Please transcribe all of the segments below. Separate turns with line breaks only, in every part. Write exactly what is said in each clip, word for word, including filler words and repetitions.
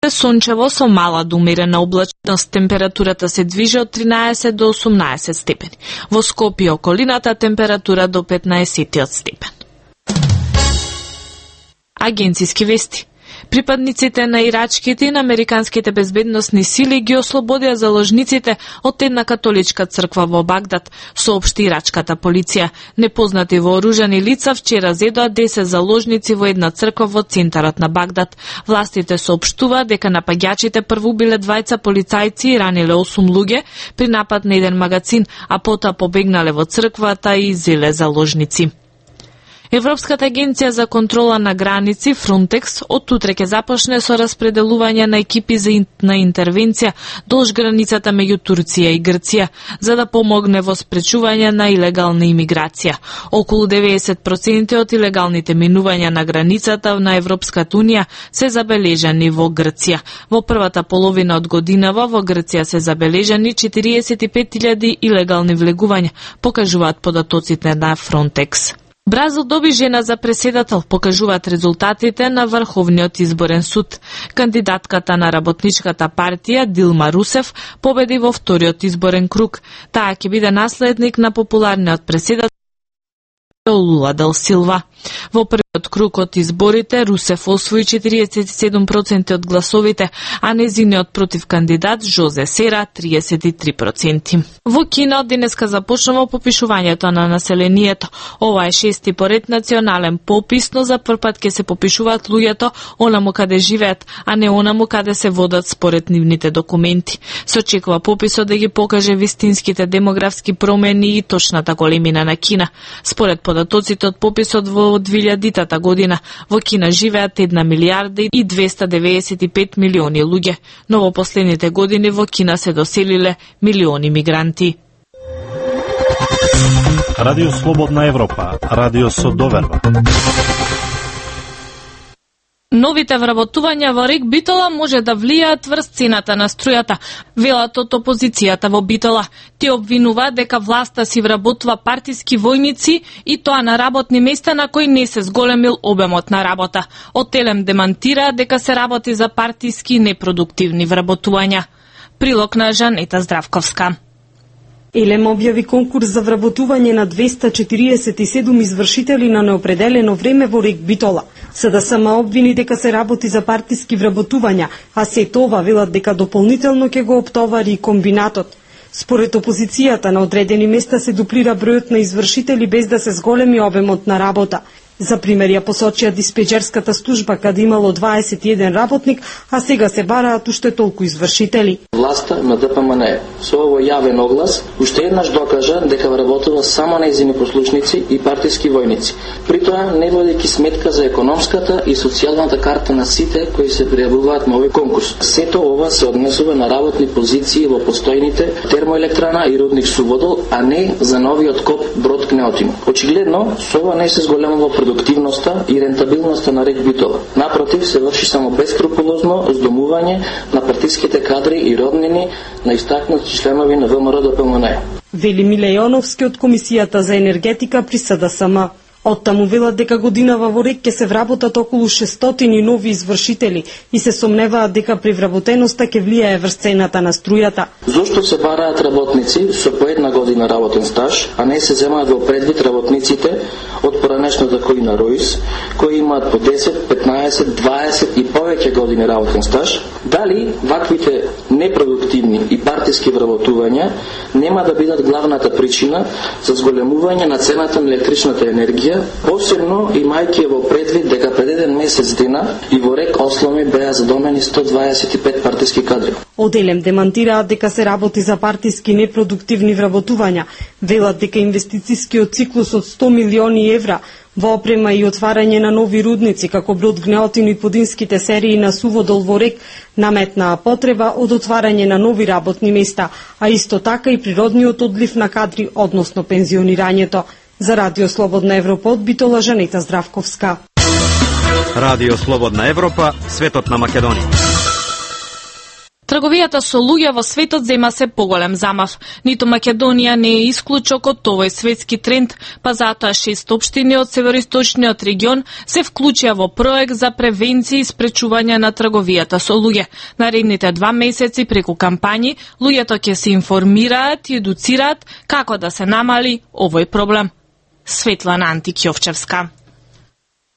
сончево со мала до умерена облачност, температурата се движи од тринаесет до осумнаесет степени. Во Скопје и околината температура до петнаесет степен. Агенциски вести. Припадниците на ирачките и на американските безбедносни сили ги ослободија заложниците од една католичка црква во Багдад, соопшти ирачката полиција. Непознати вооружени лица вчера зедоа десет заложници во една црква во центарот на Багдад. Властите соопштуваат дека напаѓачите прво убиле двајца полицајци и раниле осум луѓе при напад на еден магазин, а потоа побегнале во црквата и зеле заложници. Европската агенција за контрола на граници Frontex од утре ќе започне со распределување на екипи за ин, на интервенција долж границата меѓу Турција и Грција, за да помогне во спречување на илегална имиграција. Околу деветдесет проценти од илегалните минувања на границата на Европската унија се забележани во Грција. Во првата половина од годинава во Грција се забележани четириесет и пет илјади илегални влегувања, покажуваат податоците на Frontex. Бразил доби жена за преседател, покажуваат резултатите на Врховниот изборен суд. Кандидатката на работничката партија Дилма Русев победи во вториот изборен круг. Таа ќе биде наследник на популарниот преседател Лула дел Силва. Во првиот круг од изборите Русев освои четириесет и седум проценти од гласовите, а незиниот против кандидат Жозе Сера триесет и три проценти. Во Кина од денеска започнува попишувањето на населението. Ова е шести поред национален попис, но за првпат ќе се попишуваат луѓето онаму каде живеат, а не онаму каде се водат според нивните документи. Се очекува пописот да ги покаже вистинските демографски промени и точната големина на Кина. Според податоците од пописот во двилјадитата година во Кина живеат една милијарда и двеста деветдесет и пет милиони луѓе, но во последните години во Кина се доселиле милиони мигранти.
Радио Слободна Европа, радио со доверба.
Новите вработувања во рек Битола може да влијаат врз цената на струјата, велат од опозицијата во Битола. Ти обвинуваат дека власта си вработува партиски војници и тоа на работни места на кои не се зголемил обемот на работа. Од Телем демантира дека се работи за партиски и непродуктивни вработувања. Прилог на Жанета Здравковска.
Елем објави конкурс за вработување на двеста четириесет и седум извршители на неопределено време во рек Битола. СДСМ обвини дека се работи за партиски вработувања, а се тоа велат дека дополнително ќе го оптовари и комбинатот. Според опозицијата на одредени места се дуплира бројот на извршители без да се зголеми обемот на работа. За пример ја посочија диспечерската служба каде имало дваесет и еден работник, а сега се бараат уште толку извршители.
Власта на ДПМН со овој јавен оглас уште еднаш докажа дека вработува само нејзини послушници и партиски војници. При тоа не водејќи сметка за економската и социјалната карта на сите кои се пријавуваат на овој конкурс. Сето ова се однесува на работни позиции во постојните термоелектрана и рудник Суводол, а не за новиот коп Брод Кнеотин. Очигледно, со ова не се зголемува продуктивноста и рентабилноста на рек Битола. Напротив, се врши само бескрупулозно здомување на партиските кадри и роднини на истакнати членови на ВМРО ДПМН.
Вели Миле Јоновски од Комисијата за енергетика при СДСМ. Оттаму велат дека годинава во рек ќе се вработат околу шестстотини нови извршители и се сомневаат дека при вработеноста ќе влијае врз цената на струјата.
Зошто се бараат работници со по една година работен стаж, а не се земаат во предвид работниците од поранешната коина Роис, кои имаат по десет, петнаесет, дваесет и повеќе години работен стаж? Дали ваквите непродуктивни и партиски вработувања нема да бидат главната причина за зголемување на цената на електричната енергија, посебно имајќи во предвид дека пред еден месец дена и во рек Осломи беа задомени сто дваесет и пет партиски кадри.
Од Елем демантираат дека се работи за партиски непродуктивни вработувања. Велат дека инвестицискиот циклус од сто милиони евра во опрема и отварање на нови рудници, како Брод Гнеотин и подинските серии на Суводол во рек, наметнаа потреба од отварање на нови работни места, а исто така и природниот одлив на кадри, односно пензионирањето. За Радио Слободна Европа од Битола, Жанета Здравковска.
Радио Слободна Европа, светот на Македонија.
Трговијата со луѓе во светот зема се поголем замав. Ниту Македонија не е исклучок од овој светски тренд, па затоа шест општини од североисточниот регион се вклучија во проект за превенција и спречување на трговијата со луѓе. Наредните два месеци преку кампањи луѓето ќе се информираат и едуцираат како да се намали овој проблем. Светлана Антик-Јовчевска.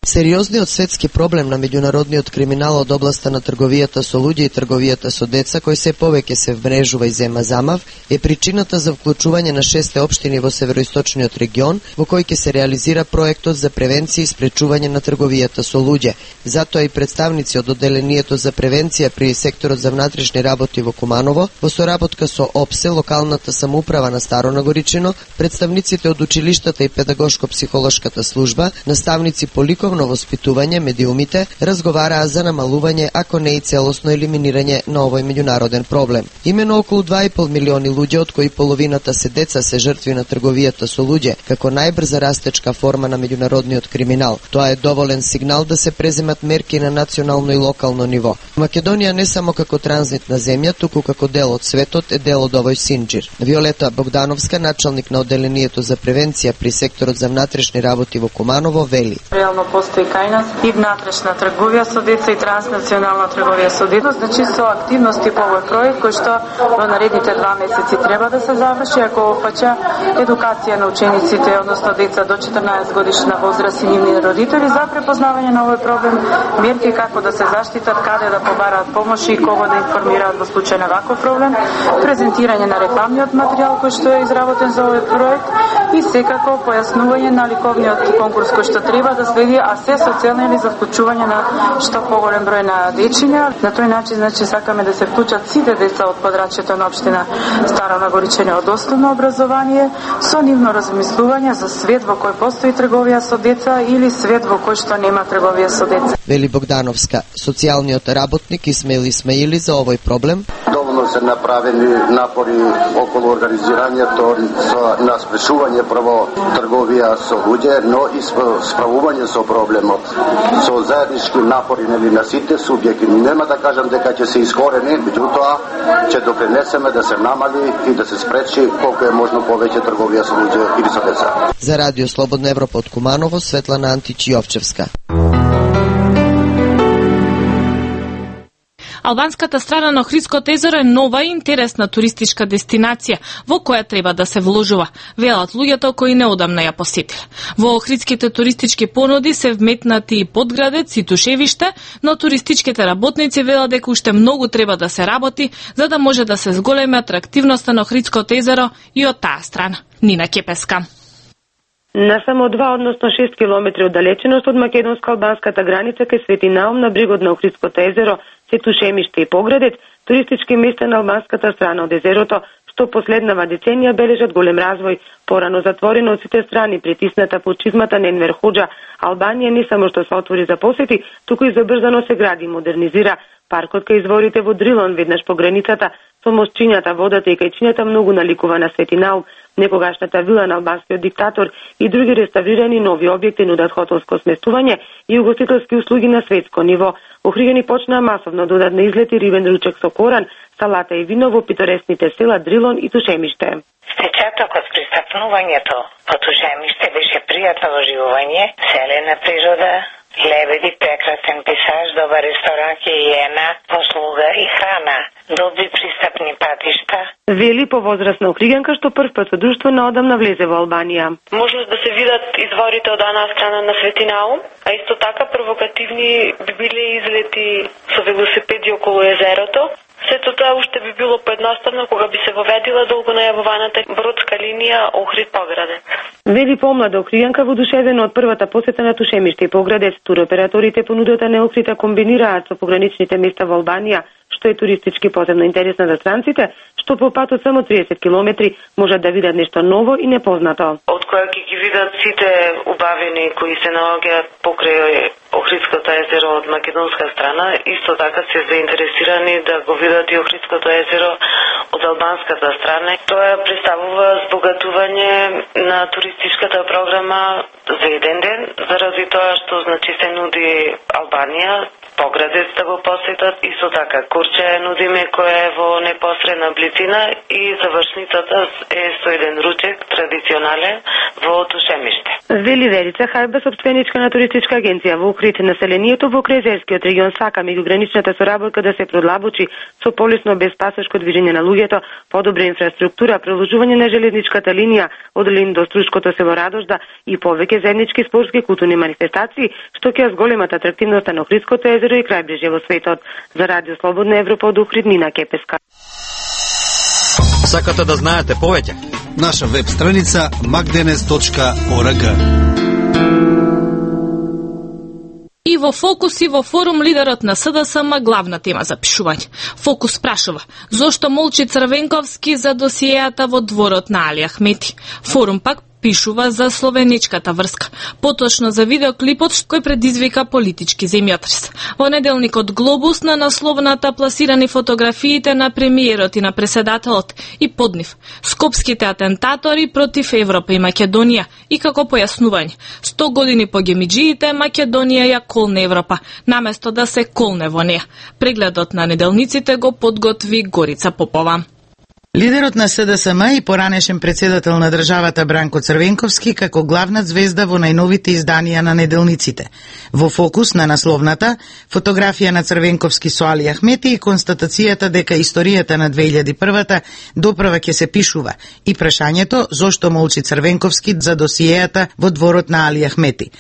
Сериозниот светски проблем на меѓународниот криминал од областа на трговијата со луѓе и трговијата со деца, кој се повеќе се вмрежува и зема замав, е причината за вклучување на шесте општини во североисточниот регион, во кој ќе се реализира проектот за превенција и спречување на трговијата со луѓе. Затоа и представници од одделението за превенција при секторот за внатрешни работи во Куманово, во соработка со ОПСЕ, локалната самоуправа на Старо Нагоричино, представниците од училиштата и педагошко-психолошката служба, наставници по ликовно воспитување, медиумите, разговараа за намалување, ако не и целосно елиминирање на овој меѓународен проблем. Имено околу два и пол милиони луѓе, од кои половината се деца, се жртви на трговијата со луѓе, како најбрза растечка форма на меѓународниот криминал. Тоа е доволен сигнал да се преземат мерки на национално и локално ниво. Македонија не само како транзитна земја, туку како дел од светот е дел од овој синџир. Виолета Богдановска, началник на одделението за превенција при секторот за внатрешни работи во Куманово, вели:
Реално постои кај нас и внатрешна трговија со деца и транснационална трговија со деца. Значи со активности по овој проект кој што во наредните два месеци треба да се заврши, ако опфаќа едукација на учениците, односно деца до четрнаесет годишна возраст и нивни родители за препознавање на овој проблем, мерки како да се заштитат, каде да побараат помош и кого да информираат во случај на ваков проблем, презентирање на рекламниот материјал кој што е изработен за овој проект и секако појаснување на ликовниот конкурс кој што треба да следи, а се со цел за вклучување на што поголем број на дечиња. На тој начин, значи, сакаме да се вклучат сите деца од подрачјето на општина Старо Нагоричино од основно образование со нивно размислување за свет во кој постои трговија со деца или свет во кој што нема трговија со деца.
Вели Богдановска, социјалниот работник Исмаил Исмаили за овој проблем.
Доволно се направени напори околу организирањето на спречување прво трговија со луѓе, но и справување со проблемот со заеднички напори нели на сите субјекти. Нема да кажам дека ќе се искорени, меѓутоа ќе допринесеме да се намали и да се спречи колку е можно повеќе трговија со луѓе или со деца.
За Радио Слободна Европа од Куманово, Светлана Антич-Јовчевска.
Албанската страна на Охридското езеро е нова и интересна туристичка дестинација во која треба да се вложува, велат луѓето кои неодамна ја посетиле. Во охридските туристички понуди се вметнати и Подградец и Тушевиште, но туристичките работници велат дека уште многу треба да се работи за да може да се зголеми атрактивноста на Охридското езеро и од таа страна. Нина Кепеска.
На само два, односно шест километри оддалеченост од македонско-албанската граница кај Свети Наум на брегот на Охридското езеро се Тушемиште и Поградец, туристички места на албанската страна од езерото, што последнава деценија бележат голем развој. Порано затворено од сите страни, притисната под чизмата на Енвер Хоџа, Албанија не само што се отвори за посети, туку и забрзано се гради и модернизира. Паркот кај изворите во Дрилон, веднаш по границата, со мостчињата, водата и кајчињата многу наликува на Свети Наум. Некогашната вила на албанскиот диктатор и други реставрирани нови објекти нудат хотелско сместување и угостителски услуги на светско ниво. Охриѓани почнаа масовно да одат на излети рибен ручек со коран, салата и вино во питоресните села Дрилон и Тушемиште.
Впечатокот при стапнувањето по Тушемиште беше пријатно доживување, селена природа, лебеди, прекрасен пейзаж, добар ресторан, хијена, послуга и храна, добри пристапни патишта.
Вели повозрасна охриѓанка што прв пат со друштво наодамна влезе во Албанија.
Можност да се видат изворите од една страна на Свети Наум, а исто така провокативни би биле излети со велосипеди околу езерото. Сето тоа уште би било поедноставно кога би се воведила долго најавуваната бродска линија Охрид-Поградец.
Вели помлада охриѓанка воодушевена од првата посета на Тушемиште и Поградец. Туроператорите понудата на Охрида комбинираат со пограничните места во Албанија, што е туристички посебно интересна за странците, што по пат од само триесет километри можат да видат нешто ново и непознато.
Од која ќе ги видат сите убавини кои се наоѓаат покрај Охридското езеро од македонска страна, исто така се заинтересирани да го видат и Охридското езеро од албанската страна. Тоа представува збогатување на туристичката програма за еден ден, заради тоа што значи се нуди Албанија, Поградец да го посетат, исто така Курче нудиме која е во непосредна близина и завршницата е со еден ручек традиционален во Тушемиште.
Вели Верица Хајба, собственичка на туристичка агенција во Охрид, населението во Крезерскиот регион сака меѓуграничната соработка да се продлабочи со полесно безпасошко движење на луѓето, подобра инфраструктура, продолжување на железничката линија од Лин до Струшкото село Радожда и повеќе заеднички спортски и културни манифестации, што ќе зголемат атрактивноста на Охридското езеро и крајбрежје во светот. За Радио Слободна Европа од Охрид, Нина Кепеска.
Сакате да знаете повеќе?
Наша веб страница макденес точка орг.
И во Фокус и во Форум лидерот на СДСМ главна тема за пишување. Фокус прашува зошто молчи Црвенковски за досиеата во дворот на Али Ахмети. Форум пак пишува за словеничката врска, поточно за видеоклипот кој предизвика политички земјотрес. Во неделникот Глобус на насловната пласирани фотографиите на премиерот и на преседателот и под нив скопските атентатори против Европа и Македонија и како појаснување. сто години по гемиџиите Македонија ја колне Европа, наместо да се колне во неа. Прегледот на неделниците го подготви Горица Попова.
Лидерот на СДСМ и поранешен председател на државата Бранко Црвенковски како главна звезда во најновите изданија на неделниците. Во Фокус на насловната фотографија на Црвенковски со Али Ахмети и констатацијата дека историјата на две илјади и прва доправа ќе се пишува и прашањето зошто молчи Црвенковски за досиеата во дворот на Али Ахмети.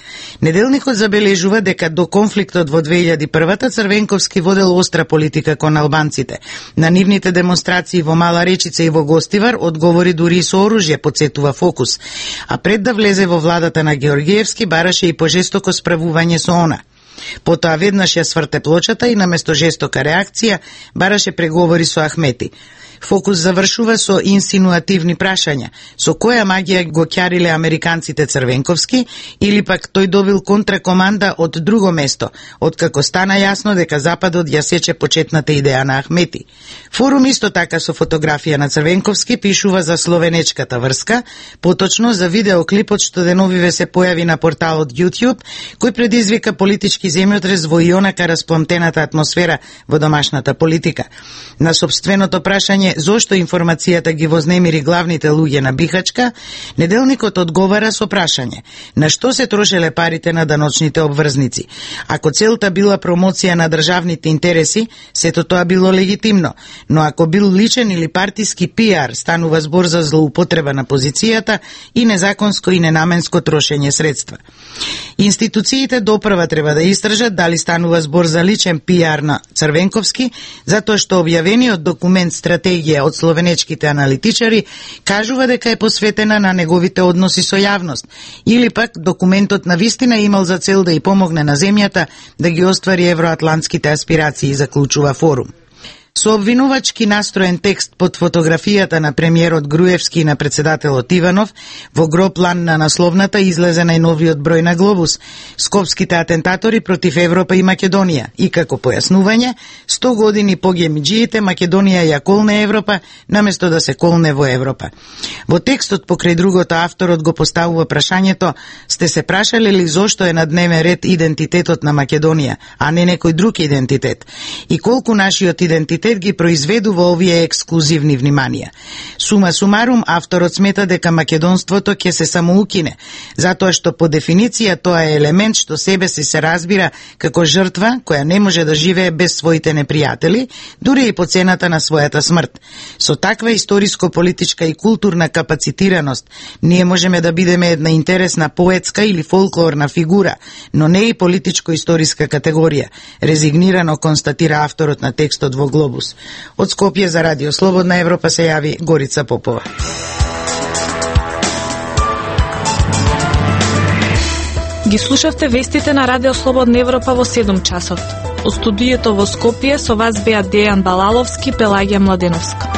Неделникот забележува дека до конфликтот во две илјади и прва Црвенковски водел остра политика кон албанците. На нивните демонстрации во Мала Речица и во Гостивар одговори дури и со оружје, подсетува Фокус. А пред да влезе во владата на Георгиевски бараше и пожестоко справување со она. Потоа веднаш ја сврте плочата и наместо жестока реакција бараше преговори со Ахмети. Фокус завршува со инсинуативни прашања. Со која магија го ќариле американците Црвенковски или пак тој добил контракоманда од друго место, откако стана јасно дека Западот ја сече почетната идеја на Ахмети. Форум исто така со фотографија на Црвенковски пишува за словенечката врска, поточно за видеоклипот што деновиве се појави на порталот YouTube, кој предизвика политички земјотрес во и онака распламтената атмосфера во домашната политика. На собственото прашање зошто информацијата ги вознемири главните луѓе на Бихачка, неделникот одговара со прашање: на што се трошеле парите на даночните обврзници? Ако целта била промоција на државните интереси, сето тоа било легитимно, но ако бил личен или партиски пиар, станува збор за злоупотреба на позицијата и незаконско и ненаменско трошење средства. Институциите допрва треба да истражат дали станува збор за личен пиар на Црвенковски, затоа што објавениот документ стратегија од словенечките аналитичари кажува дека е посветена на неговите односи со јавност, или пак документот на вистина имал за цел да ја помогне на земјата да ги оствари евроатлантските аспирации, заклучува Форум. Со обвинувачки настроен текст под фотографијата на премиерот Груевски и на председателот Иванов, во гро план на насловната излезе најновиот број на Глобус, скопските атентатори против Европа и Македонија, и како појаснување, сто години по гемиџиите Македонија ја колне Европа, наместо да се колне во Европа. Во текстот покрај другото авторот го поставува прашањето: сте се прашале ли зошто е на дневен ред идентитетот на Македонија, а не некој друг идентитет? И колку нашиот идентитет ги произведува овие ексклузивни вниманија? Сума сумарум, авторот смета дека македонството ќе се самоукине, затоа што по дефиниција тоа е елемент што себе си се разбира како жртва која не може да живее без своите непријатели, дури и по цената на својата смрт. Со таква историско-политичка и културна капацитираност, ние можеме да бидеме една интересна поетска или фолклорна фигура, но не и политичко-историска категорија, резигнирано констатира авторот на текстот во Глобус. Од Скопје за Радио Слободна Европа се јави Горица Попова.
Ги слушавте вестите на Радио Слободна Европа во седум часот. Од студиото во Скопје со вас беа Дејан Балаловски, Пелагија Младеновска.